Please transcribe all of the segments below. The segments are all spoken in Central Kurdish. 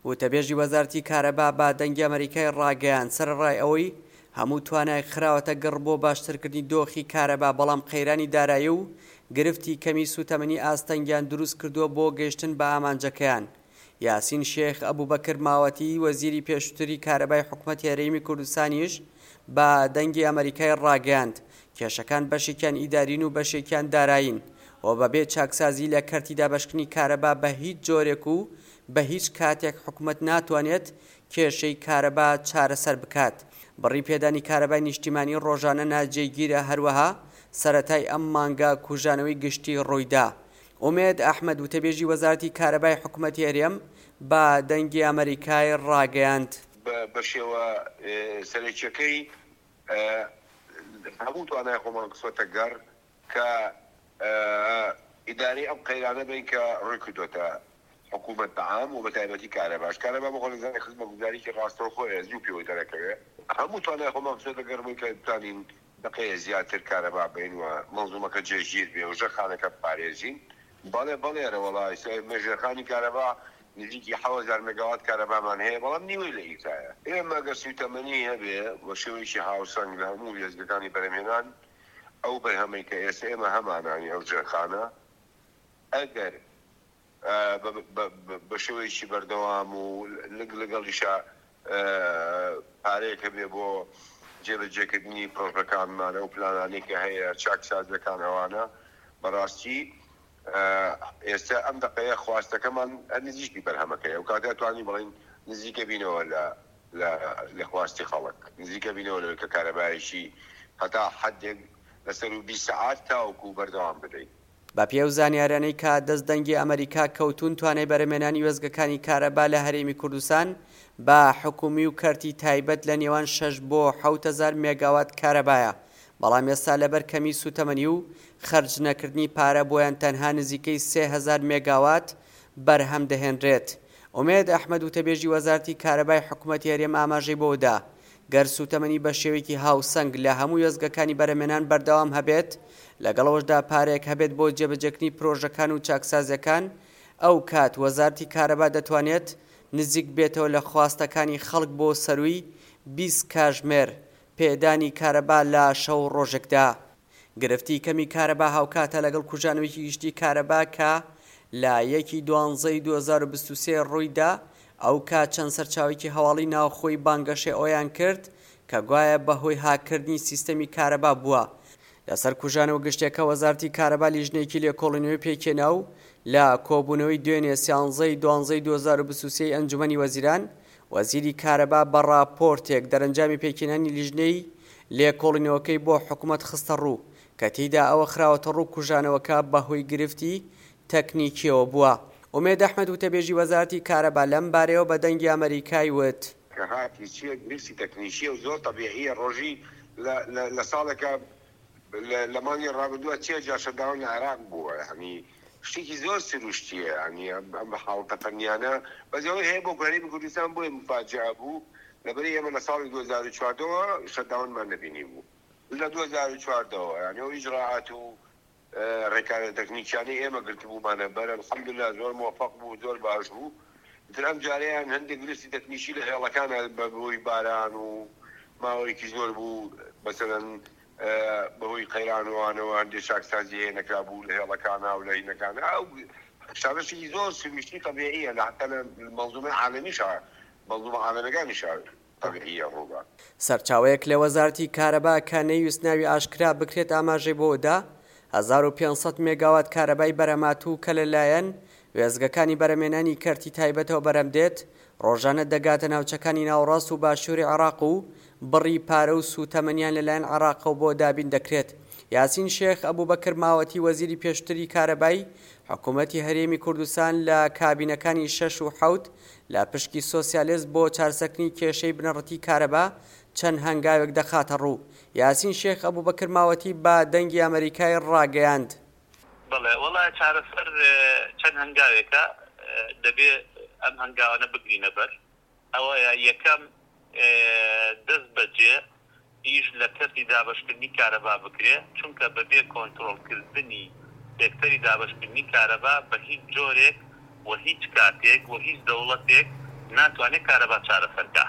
وتەبێژی وەزارەتی کارەبا بە دەنگی ئەمەریکای ڕاگەیاند، سەرەڕای ئەوەی هەموو توانایەک خراوەتە گڕ بۆ باشترکردنی دۆخی کارەبا، بەڵام قەیرانی دارایی و گرفتی کەمی سوتەمەنی ئاستەنگیان دروستکردووە بۆ گەیشتن بە ئامانجەکەیان. یاسین شێخ ئەبوبەکر ماوەتی، وەزیری پێشووتری کارەبای حکومەتی هەرێمی کوردستانیش بە دەنگی ئەمەریکای ڕاگەیاند، کێشەکان بەشێکیان ئیدارین و بەشێکیان دارایین و بەبێ چاکسازی لە کەرتی دابەشکردنی کارەبا بە هیچ جۆرێک و بە هیچ کاتێک حکومەت ناتوانێت کێشەی کارەبا چارەسەر بکات. بڕی پێدانی کارەبای نیشتیمانی ڕۆژانە ناجێگیرە هەروەها سەرەتای ئەم مانگە کوژانەوەی گشتی ڕوویدا. ئومێد ئەحمەد وتەبێژی وەزارەتی کارەبای حکومەتی هەرێم بە دەنگی ئەمەریکای ڕاگەیاند. بە شێوە سەرەکیەکەی هەموو توانای خۆمان خستوەتە گەڕ کە ئیدارەی ئەم قەیرانە بەین کە ڕووی کردۆتە حکوومەت بە عام و بە تایبەتی کارەباش. کارەبا بۆ خۆ دەزانی خزمەتگوزاریی ڕاستەوخۆیە زوو پێوەی دەرەکەوێ. هەموو توانای خۆمان خستۆتە گەڕ بۆی کە بتوانین دەقەیە زیاتر کارەبا بەین و مەنزومەکە جێگیر بێ و ژێرخانەکە بپارێزین. بەڵێ بەڵێ ئەرەوەڵا ئیستا ئێمە ژێرخانی کارەبا نزیکی 7000 مێگاوات کارەبامان هەیە بەڵام نیوەی لە ئیسایە. ئێمە گەر سووتەمەنی هەبێ بە شێوەیەکی هاوسەنگ لە هەموو وێستگەکانی بەرهەمهێنان ئەو بەرهەمەی کە ئێستا ئێمە هەمانە یانی ئەو ژێرخانە ئەگەر بە شێوەیەکی بەردەوام و لەگەڵیشا پارەیەک هەبێ بۆ جێبەجێکردنی پرۆژەکانمان ئەو پلانانەی کە هەیە چاکسازیەکان ئەوانە بەڕاستی ئێستا ئەم دەقەیە خواستەکەمان هەر نزیکی بەرهەمەکەیە و کاتێ توانی بڵین نزیکە بینەوە لە لە خواستی خەڵک نزیکە بینەوە لەوەی کە کارەبایەکی هەتا حەدێک لەسەر و 20 سەعات تاوەکو بەردەوام بدەین. بەپێی ئەو زانیاریانەی کە دەست دەنگی ئەمەریکا کەوتوون توانای بەرهەمێنانی وێستگەکانی کارەبا لە هەرێمی کوردستان بە حکومی و کەرتی تایبەت لە نێوان شەش بۆ 7000 مێگاوات کارەبایە بەڵام ئێستا لەبەر کەمی سوتەمەنی و خەرج نەکردنی پارە بۆیان تەنها نزیکەی 3000 مێگاوات بەرهەم دەهێنرێت. ئومێد ئەحمەد وتەبێژی وەزارەتی کارەبای حکومەتی هەرێم ئاماژەی بەوەدا گەر سووتەمەنی بە شێوەیەکی هاوسەنگ لە هەموو وێستگەکانی بەرهەمێنان بەردەوام هەبێت، لەگەڵ ئەوەشدا پارەیەک هەبێت بۆ جێبەجێکردنی پرۆژەکان و چاکسازیەکان، ئەو کات وەزارەتی کارەبا دەتوانێت نزیک بێتەوە لە خواستەکانی خەڵک بۆ سەرووی 20 کاژمێر پێدانی کارەبا لە شەو ڕۆژێکدا. گرفتی کەمی کارەبا هاوکاتە لەگەڵ کوژانەوەیەکی گشتی کارەبا کە لە یەکی دوانزەی 2023 ڕوویدا، ئەوکات چەند سەرچاوەیەکی هەواڵی ناوخۆی بانگەشەی ئەوەیان کرد کە گوایە بەهۆی هاککردنی سیستەمی کارەبا بووە. لەسەر کوژانەوە گشتیەکە وەزارەتی کارەبا لیژنەیەکی لێکۆڵینەوەی پێکهێنا و لە کۆبوونەوەی دوێنێ سیانزەی دوانزەی 2023 ئەنجومەنی وەزیران وەزیری کارەبا بە ڕاپۆرتێک دەرەنجامی پێکهێنانی لیژنەی لێکۆڵینەوەکەی بۆ حکومەت خستەڕوو، کە تێیدا ئەوە خراوەتەڕوو کوژانەوەکە بەهۆی گرفتی تەکنیکییەوە بووە. ئومێد ئەحمەد وتەبێژی وەزارەتی کارەبا لەم بارەیەوە بە دەنگی ئەمەریکای وت. کە هاتی چیە گرفتی تەکنیکیە و زۆر تەبیعیە ڕۆژی لە لە لە ساڵێکا لە لە مانگی ڕابردووە چێ جار شەتداون لە عێراق بووە یانی شتێکی زۆر سروشتیە یانی ئەم حاڵەتە فەنیانە بەس ئەوەی هەیە بۆ هەرێمی کوردستان بۆیە موفاجئە بوو لەبەری ئێمە لە ساڵی 2014 وە شەتداونمان نەبینی بوو لە 2014 وە یانی ئەو ئیجرائات و ڕێکارە تەکنیکیانەی ئێمە گرتبوومانە بەر الحمدللە زۆر مۆفەق بوو زۆر باش بوو ئیتر ئەم جارەیان هەندێک گرفتی تەکنیکی لە هێڵەکانە بە هۆی باران و ماوەیەکی زۆر بوو مەسەلەن بەهۆی قەیران و ئەوانەوە هەندێک چاکسازی هەیە نەکرابوو لە هێڵەکانا و لە هینەکانا ئەو شتانەشی زۆر سروشتی تەبیعیە لە حەتا لە مەنزومەی عالەمیشا مەنزومە عالەمیەکانیشا تەبیعیە ڕووبا. سەرچاوەیەک لە وەزارەتی کارەبا کە نەیویست ناوی ئاشکرا بکرێت ئاماژەی بەوەدا، 1500 مێگاوات کارەبای بەرهەمهاتوو کە لەلایەن وێستگەکانی بەرهەمهێنانی کەرتی تایبەتەوە بەرهەمدێت، ڕۆژانە دەگاتە ناوچەکانی ناوەڕاست و باشووری عێراق و بڕی پارە و سووتەمەنیان لەلایەن عێراقەوە بۆ دابین دەکرێت. یاسین شێخ ئەبوبەکر ماوەتی وەزیری پێشووتری کارەبای حکوومەتی هەرێمی کوردستان لە کابینەکانی شەش و حەوت لە پشکی سۆسیالست بۆ چارسەکردنی کێشەی بنەڕەتی کارەبا چەند هەنگاوێک دەخاتەڕوو. یاسین شێخ ئەبوبەکر ماوەتی بە دەنگی ئەمەریکای ڕاگەیاند. بەڵێ وەڵا چارەسەر چەند هەنگاوێکە دەبێ ئەم هەنگاوانە بگرینە بەر ئەوەیە یەکەم دەست بەجێ ئیش لە کەرتی دابەشکردنی کارەبا بکرێ چونکە بەبێ کۆنترۆڵکردنی سێکتەری دابەشکردنی کارەبا بە هیچ جۆرێک و هیچ کاتێک و هیچ دەوڵەتێک ناتوانێت کارەبا چارەسەر کا.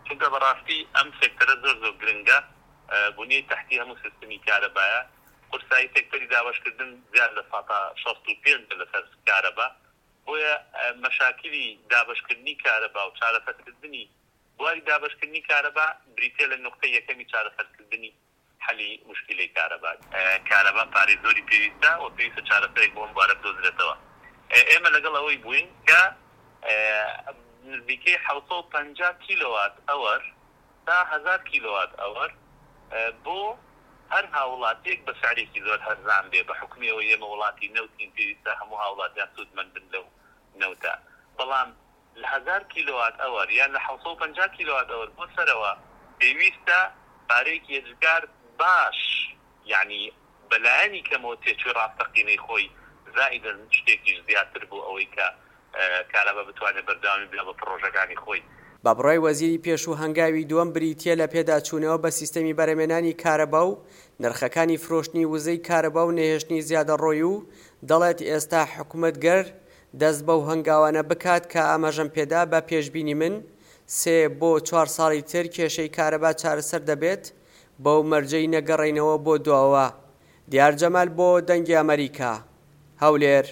چونکە بەڕاستی ئەم سێکتەرە زۆر زۆر گرنگە، بونیەی تەحتی هەموو سیستمی کارەبایە، قورسایی سێکتەری دابەشکردن زیاد لە ساتا 65 لەسەر کارەبا، بۆیە مەشاکیلی دابەشکردنی کارەبا و چارەسەرکردنی بواری دابەشکردنی کارەبا بریتیە لە نوقتەی یەکەمی چارەسەرکردنی حەلی موشکیلەی کارەبا. کارەبا پارەی زۆری پێویستە و پێویستە چارەسەرێک بۆ ئەم بوارە بدۆزرێتەوە. ئێمە لەگەڵ ئەوەی بووین کە نزیکەی 750 کیلۆوات ئەوەر تا 1000 کیلۆوات ئەوەر بۆ هەر هاوڵاتیەک بە سعرێکی زۆر هەرزان بێ، بە حوکمی ئەوەی ئێمە وڵاتی نەوتین پێویستە هەموو هاوڵاتیان سوودمەند بن لەو نەوتە، بەڵام لە 1000 کیلۆوات ئەوەر یان لە 750 کیلۆوات ئەوەر بۆ سەرەوە پێویستە پارەیەکی ئێجگار باش یەعنی بە لایەنی کەمەوە تێچووی ڕاستەقینەی خۆی زائیدەن شتێکیش زیاتر بۆ ئەوەی کە کارەبا بتوانێت بەردەوامی بدا بە پڕۆژەکانی خۆی. بە بڕوای وەزیری پێشوو هەنگاوی دووەم بریتییە لە پێداچوونەوە بە سیستەمی بەرهەمێنانی کارەبا و نرخەکانی فرۆشتنی وزەی کارەبا و نەهێشتنی زیادەڕۆی و دەڵێت ئێستا حکومەت گەر دەست بەو هەنگاوانە بکات کە ئاماژەم پێدا بە پێشبینی من سێ بۆ چوار ساڵی تر کێشەی کارەبا چارەسەر دەبێت بەو مەرجەی نەگەڕێینەوە بۆ دواوە. دیار جەمال بۆ دەنگی ئەمەریکا، هەولێر.